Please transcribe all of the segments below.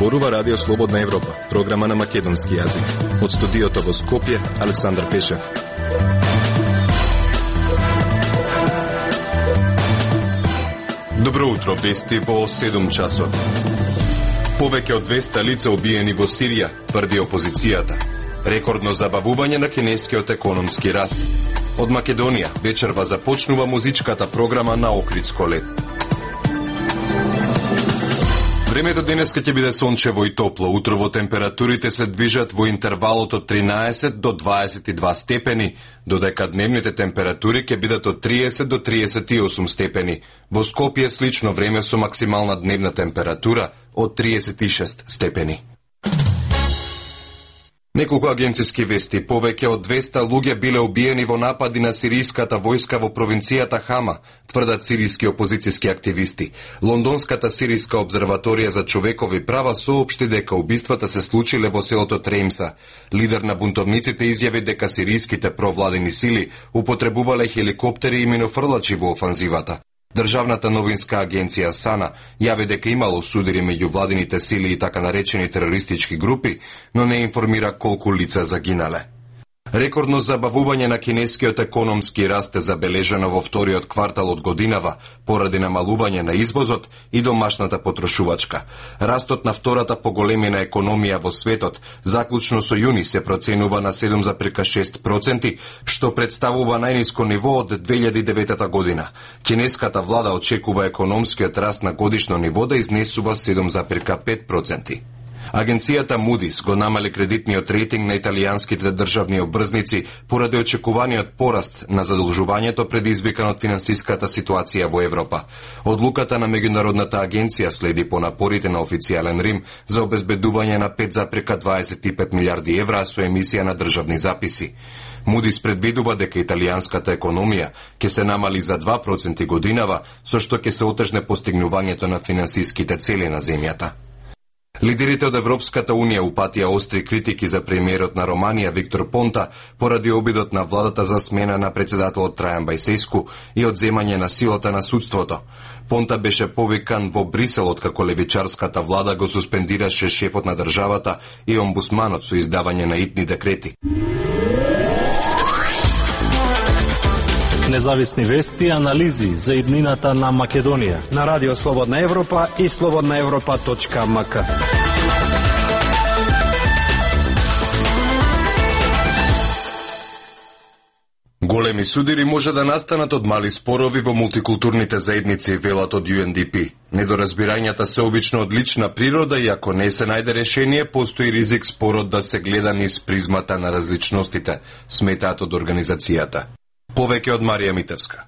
Зборува Радио Слободна Европа, програма на македонски јазик. Од студиото во Скопје, Александар Пешев. Добро утро, вести во 7 часот. Повеќе од 200 лица убиени во Сирија, тврди опозицијата. Рекордно забавување на кинескиот економски раст. Од Македонија вечерва започнува музичката програма на Охридско лет. Времето денеска ќе биде сончево и топло. Утрово температурите се движат во интервалот од 13 до 22 степени, додека дневните температури ќе бидат од 30 до 38 степени. Во Скопје слично време со максимална дневна температура од 36 степени. Неколку агенциски вести. Повеќе од 200 луѓе биле убиени во напади на сиријската војска во провинцијата Хама, тврдат сиријски опозицијски активисти. Лондонската сиријска обзерваторија за човекови права соопшти дека убиствата се случиле во селото Треймса. Лидер на бунтовниците изјави дека сиријските провладени сили употребувале хеликоптери и минофрлачи во офанзивата. Државната новинска агенција САНА јави дека имало судири меѓу владините сили и така наречени терористички групи, но не информира колку лица загинале. Рекордно забавување на кинескиот економски раст е забележано во вториот квартал од годинава, поради намалување на извозот и домашната потрошувачка. Растот на втората поголемина економија во светот, заклучно со јуни, се проценува на 7,6%, што представува најниско ниво од 2009 година. Кинеската влада очекува економскиот раст на годишно ниво да изнесува 7,5%. Агенцијата Moody's го намали кредитниот рейтинг на италијанските државни обврзници поради очекуваниот пораст на задолжувањето предизвикан од финансиската ситуација во Европа. Одлуката на меѓународната агенција следи по напорите на официјален Рим за обезбедување на 5,25 милиарди евра со емисија на државни записи. Moody's предвидува дека италијанската економија ќе се намали за 2% годинава, со што ќе се отежне постигнувањето на финансиските цели на земјата. Лидерите од Европската Унија упатија остри критики за премиерот на Романија Виктор Понта поради обидот на владата за смена на председателот Трајан Бајсеску и одземање на силата на судството. Понта беше повикан во Брисел откако левичарската влада го суспендираше шефот на државата и омбудсманот со издавање на итни декрети. Независни вести и анализи за иднината на Македонија на Радио Слободна Европа и slobodnaevropa.mk. Големи судири може да настанат од мали спорови во мултикултурните заедници, велат од UNDP. Недоразбирањата се обично од лична природа и ако не се најде решение, постои ризик спорот да се гледа низ призмата на различностите, сметаат од организацијата. Повеќе од Марија Митевска.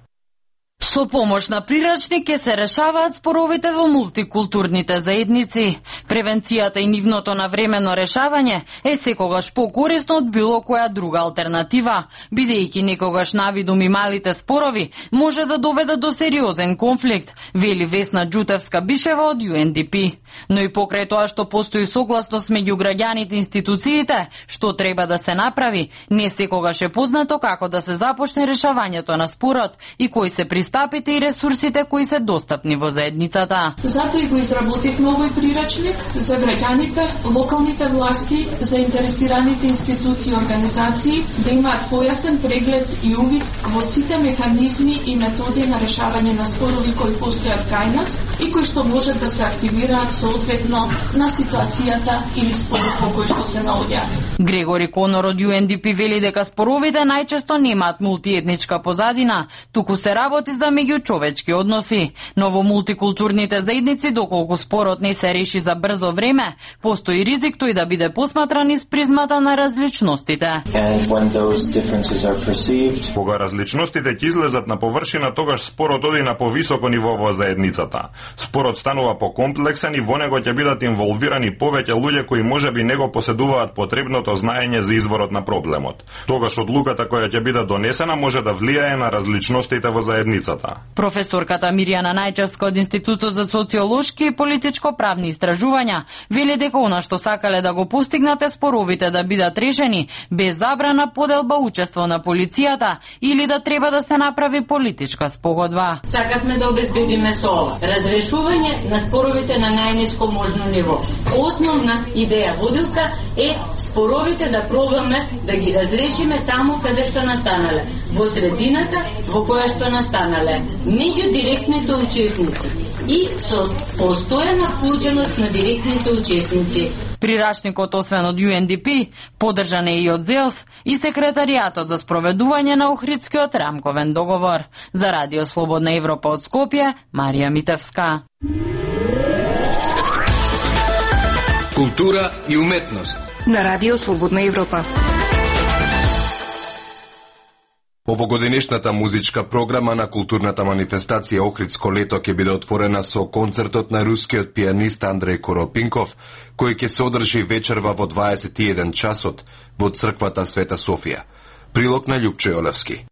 Со помош на прирачник ќе се решаваат споровите во мултикултурните заедници. Превенцијата и нивното навремено решавање е секогаш покорисно од било која друга алтернатива, бидејќи некогаш навидум и малите спорови може да доведат до сериозен конфликт, вели Весна Ѓутевска-Бишева од UNDP. Но и покрај тоа што постои согласност меѓу граѓаните и институциите, што треба да се направи, не секогаш е познато како да се започне решавањето на спорот и кои се пристапите и ресурсите кои се достапни во заедницата. Затоа и го изработивме овој прирачник за граѓаните, локалните власти, заинтересираните институции и организации да имаат појасен преглед и увид во сите механизми и методи на решавање на спорови кои постојат кај нас и кои што можат да се активираат соодветно на ситуацијата или спорот во кој што се наоѓаат. Грегори Конор од UNDP вели дека споровите најчесто немаат мултиетничка позадина, туку се работи за меѓучовечки односи. Но во мултикултурните заедници, доколку спорот не се реши за брзо време, постои ризик тој да биде посматран из призмата на различностите. Кога различностите ќе излезат на површина, тогаш спорот оди на повисоко ниво во заедницата. Спорот станува покомплексен и во него ќе бидат инволвирани повеќе луѓе кои можеби не го поседуваат потребното знаење за изворот на проблемот. Тогаш одлуката која ќе биде донесена може да влијае на различностите во заедницата. Професорката Мирјана Најчевска од Институтот за социолошки и политичко-правни истражувања вели дека она што сакале да го постигнате споровите да бидат решени без забрана, поделба, учество на полицијата или да треба да се направи политичка спогодба. Сакавме да обезбедиме со ова разрешување на споровите на најниско можно ниво. Основна идеја водилка е споровите да пробаме да ги разрешиме таму каде што настанале, во средината во која што настанале, меѓу директните учесници и со постојана вклученост на директните учесници. Прирачникот, освен од UNDP, поддржан е и од ЗЕЛС и секретаријатот за спроведување на Охридскиот рамковен договор. За Радио Слободна Европа од Скопје, Марија Митевска. Култура и уметност на Радио Слободна Европа. Овогодинешната музичка програма на културната манифестација Охридско лето ќе биде отворена со концертот на рускиот пианист Андреј Коропинков, кој ќе се одржи вечерва во 21 часот во црквата Света Софија. Прилог на Љупчо Јолевски.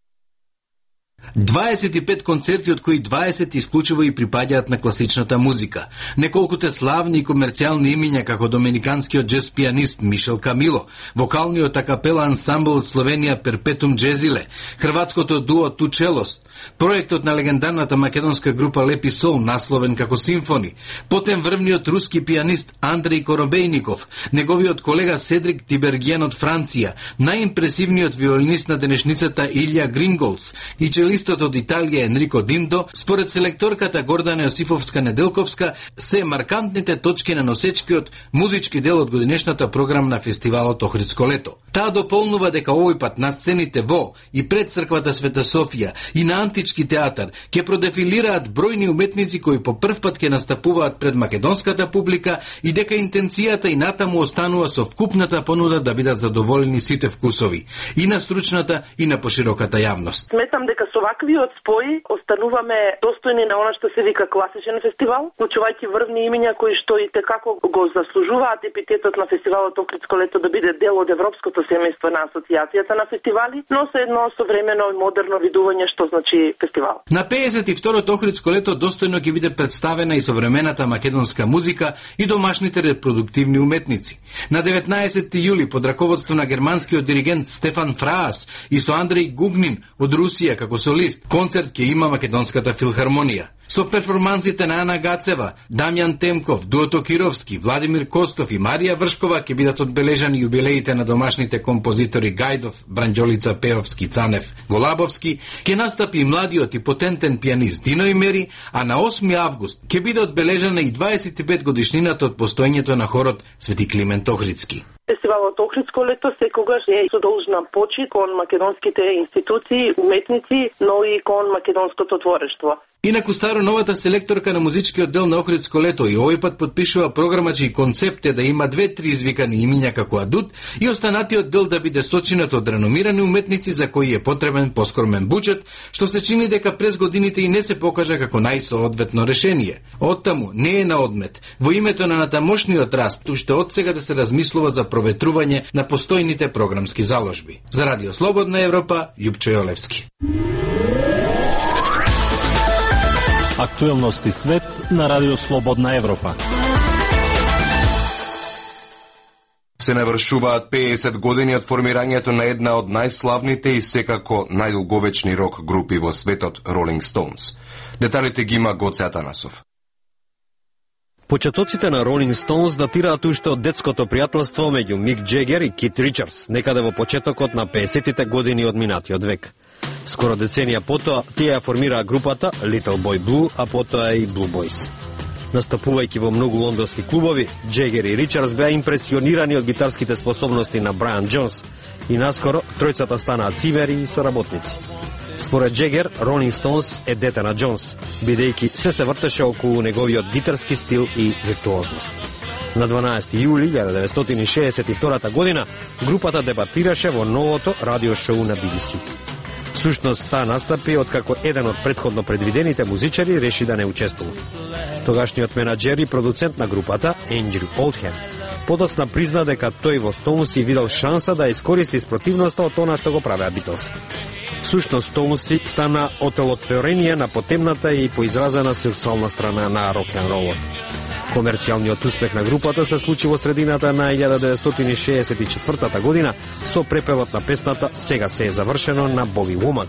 25 концерти, од кои 20 исклучиво и припаѓаат на класичната музика. Неколкуте славни и комерцијални имиња како доминиканскиот джез пианист Мишел Камило, вокалниот акапела ансамбл од Словенија Перпетум Джезиле, хрватското дуо Тучелост, проектот на легендарната македонска група Лепи Сол, насловен како Симфони, потем врвниот руски пианист Андреј Коробејников, неговиот колега Седрик Тиберген од Франција, најимпресивниот виолинист на денешницата Илја Гринголц и челистот од Италија Енрико Диндо, според селекторката Гордана Јосифовска-Неделковска, се маркантните точки на носечкиот музички дел од годинешната програма на фестивалот Охридско лето. Таа дополнува дека овој пат на сцените во и пред црквата Света Софија и на Антички театар ќе продефилираат бројни уметници кои по прв пат ќе настапуваат пред македонската публика и дека интенцијата и натаму останува со вкупната понуда да бидат задоволени сите вкусови, и на стручната и на пошироката јавност. Сметам дека со ваквиот спој остануваме достојни на она што се вика класичен фестивал, вклучувајќи врвни имиња кои што и текако го заслужуваат епитетот на фестивалот Охридско лето да биде дел од европското семејство на асоциацијата на фестивали, но со едно современо и модерно видување што значи фестивал. На 52-то Охридско лето достојно ќе биде представена и современата македонска музика и домашните репродуктивни уметници. На 19 јули под раководство на германскиот диригент Стефан Фраас и со Андреј Гугнин од Русија како солист, концерт ќе има Македонската филхармонија. Со перформансите на Ана Гацева, Дамјан Темков, Дуото Кировски, Владимир Костов и Марија Вршкова ќе бидат одбележани јубилеите на домашните композитори Гајдов, Бранџолица Пеовски, Цанев, Голабовски, ќе настапи и младиот и потентен пианист Дино Имери, а на 8 август ќе биде одбележана и 25 годишнината од постоењето на хорот Свети Климент Охридски. Фестивалот Охридско лето секогаш е со должна почит кон македонските институции, уметници, но и кон македонското творештво. Инаку старо новата селекторка на музичкиот дел на Охридско лето и овој пат подпишува програма чиј концепт е да има 2-3 извикани имиња како адут и останатиот дел да биде сочинат од реномирани уметници за кои е потребен поскромен буџет, што се чини дека през годините и не се покажа како најсоодветно решение. Оттаму не е на одмет, во името на натамошниот раст, уште од сега да се размислува за проветрување на постојните програмски заложби. За Радио Слободна Европа, Љупчо Јолевски. Актуелности свет на Радио Слободна Европа. Се навршуваат 50 години од формирањето на една од најславните и секако најдолговечни рок групи во светот, Rolling Stones. Деталите ги има Гоце Атанасов. Почетоците на Rolling Stones датираат уште од детското пријателство меѓу Мик Джегер и Кит Ричардс, некаде во почетокот на 50-тите години од минатиот век. Скоро деценија потоа, тие ја формираа групата Little Boy Blue, а потоа и Blue Boys. Настапувајќи во многу лондонски клубови, Джегер и Ричардс беа импресионирани од гитарските способности на Брайан Джонс и наскоро тројцата станаа цимери и соработници. Според Джегер, Rolling Stones е дете на Джонс, бидејќи се вртеше околу неговиот гитарски стил и виртуозност. На 12 јули 1962 година групата дебатираше во новото радио шоу на BBC. Всушност, таа настапи откако еден од претходно предвидените музичари реши да не учествува. Тогашниот менаџер и продуцент на групата, Ендрю Олдхем, подоцна призна дека тој во Стоунс си видел шанса да искористи спротивноста од она што го правеа Битлз. Всушност, Стоунс стана отелотворение на потемната и поизразена сексуална страна на рок-н-ролот. Комерцијалниот успех на групата се случи во средината на 1964 година со препевот на песната "Сега се е завршено" на Боби Вумак,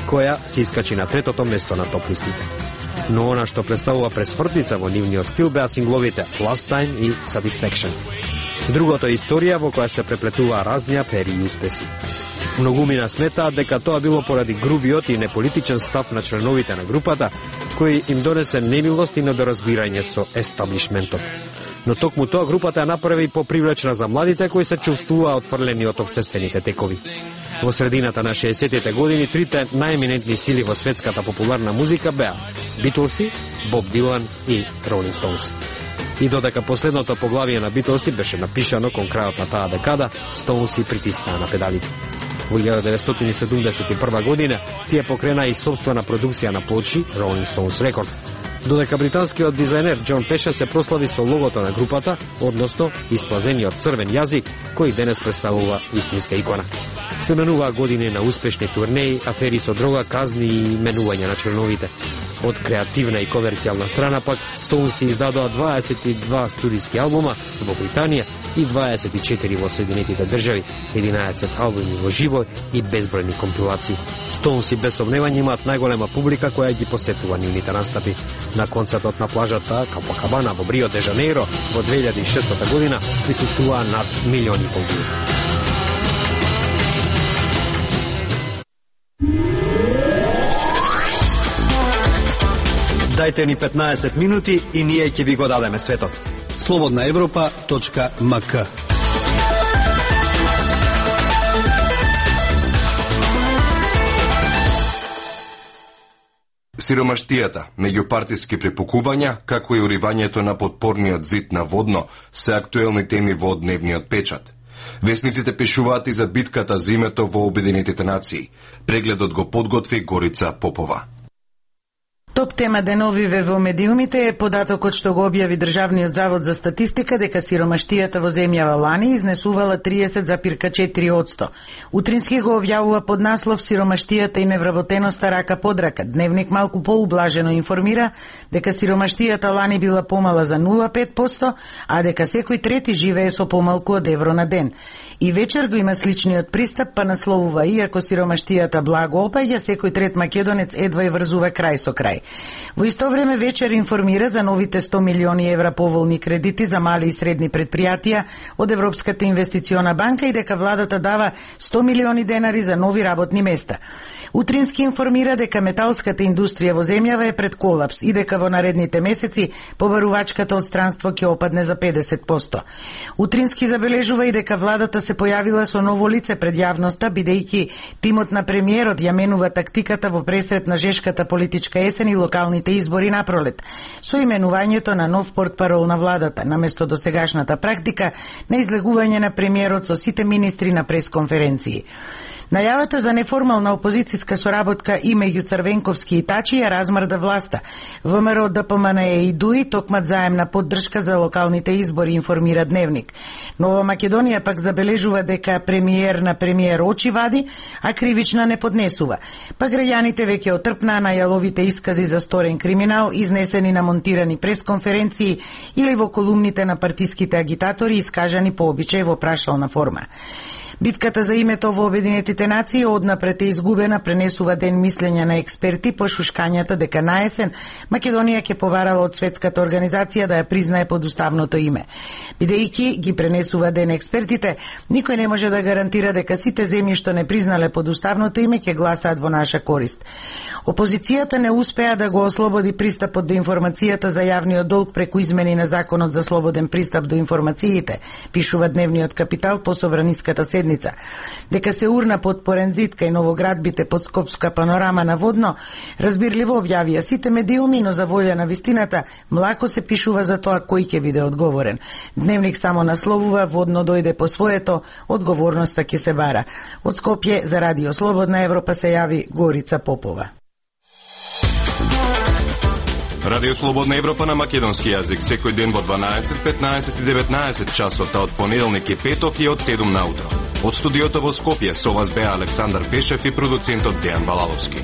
која се искачи на третото место на топ листите. но она што представува пресвртница во нивниот стил беа сингловите Last Time и Satisfaction. Другото е историја во која се преплетуваа разни афери и успеси. Многумина сметаат дека тоа било поради грубиот и неполитичен став на членовите на групата, кој им донесе немилост и недоразбирање со естаблишментот. Но токму тоа групата ја направи попривлечна за младите кои се чувствуваа отфрлени од општествените текови. Во средината на 60-тите години трите најеминентни сили во светската популарна музика беа Битлси, Боб Дилан и Ролинг Стоунс. И додека последното поглавие на Битлси беше напишано кон крајот на таа декада, Стоунси притиснаа на педалите. Во 1971 година тие покрена и собствена продукција на плочи Rolling Stones Records, додека британскиот дизајнер Џон Пеша се прослави со логото на групата, односно исплазениот црвен јазик, кој денес представува истинска икона. Се менуваа години на успешни турнеи, афери со дрога, казни и менување на членовите. Од креативна и комерцијална страна пак, Стоунси издадоа 22 студиски албума во Британија и 24 во Соединетите држави, 11 албуми во живо и безбројни компилации. Стоунси без сомневање имаат најголема публика која ги посетува нивните настапи. На концертот на плажата Копакабана во Рио де Жанеиро во 2006 година присуствуваа над 1,5 милиони луѓе. Дајте ни 15 минути и ние ќе ви го дадеме светот. slobodnaevropa.mk. Сиромаштијата, меѓупартиски препукувања, како и уривањето на подпорниот зид на Водно, се актуелни теми во дневниот печат. Весниците пишуваат и за битката за името во Обединетите нации. Прегледот го подготви Горица Попова. Топ тема деновиве во медиумите е податокот што го објави Државниот завод за статистика дека сиромаштијата во земјава лани изнесувала 30,4%. Утрински го објавува под наслов Сиромаштијата и невработеноста рака под рака. Дневник малку поублажено информира дека сиромаштијата лани била помала за 0,5%, а дека секој трети живее со помалку од евро на ден. И вечер го има сличниот пристап, па насловува: иако сиромаштијата благо опаѓа, секој трет македонец едва и врзува крај со крај. Во исто време вечер информира за новите 100 милиони евра поволни кредити за мали и средни предпријатија од Европската инвестициона банка и дека владата дава 100 милиони денари за нови работни места. Утрински информира дека металската индустрија во земјава е пред колапс и дека во наредните месеци побарувачката од странство ќе опадне за 50%. Утрински забележува и дека владата се појавила со ново лице пред јавноста, бидејќи тимот на премиерот ја менува тактиката во пресрет на жешката политичка есен и локалните избори на пролет, со именувањето на нов портпарол на владата, наместо досегашната практика на излегување на премиерот со сите министри на пресконференции. Најавата за неформална опозицијска соработка и меѓу Црвенковски и Тачи ја размрда власта. ВМРО, ДПМНЕ и ДУИ токмат заемна поддршка за локалните избори, информира Дневник. Нова Македонија пак забележува дека премиер на премиер очи вади, а кривична не поднесува. Па граѓаните веќе отрпнаа најавовите искази за сторен криминал, изнесени на монтирани пресконференции или во колумните на партиските агитатори, искажани по обичај во прашална форма. Битката за името во Обединетите нации однапред е изгубена, пренесува ден мислење на експерти по шушкањата дека наесен Македонија ќе побарала од светската организација да ја признае подуставното име. Бидејќи ги пренесува ден експертите, никој не може да гарантира дека сите земји што не признале подуставното име ќе гласаат во наша корист. Опозицијата не успеа да го ослободи пристапот до информацијата за јавниот долг преку измени на Законот за слободен пристап до информациите, пишува Дневниот Капитал по собраниската седница. Дека се урна под Порензит кај новоградбите под Скопска панорама на Водно, разбирливо објавија сите медиуми, но за волја на вистината млако се пишува за тоа кој ќе биде одговорен. Дневник само насловува: Водно дојде по своето, одговорноста ќе се бара. Од Скопје за Радио Слободна Европа се јави Горица Попова. Радио Слободна Европа на македонски јазик секој ден во 12, 15 и 19 часот, од понеделник и петок и од 7 наутро. Од студиото во Скопје со вас беа Александар Пешев и продуцентот Дејан Балаловски.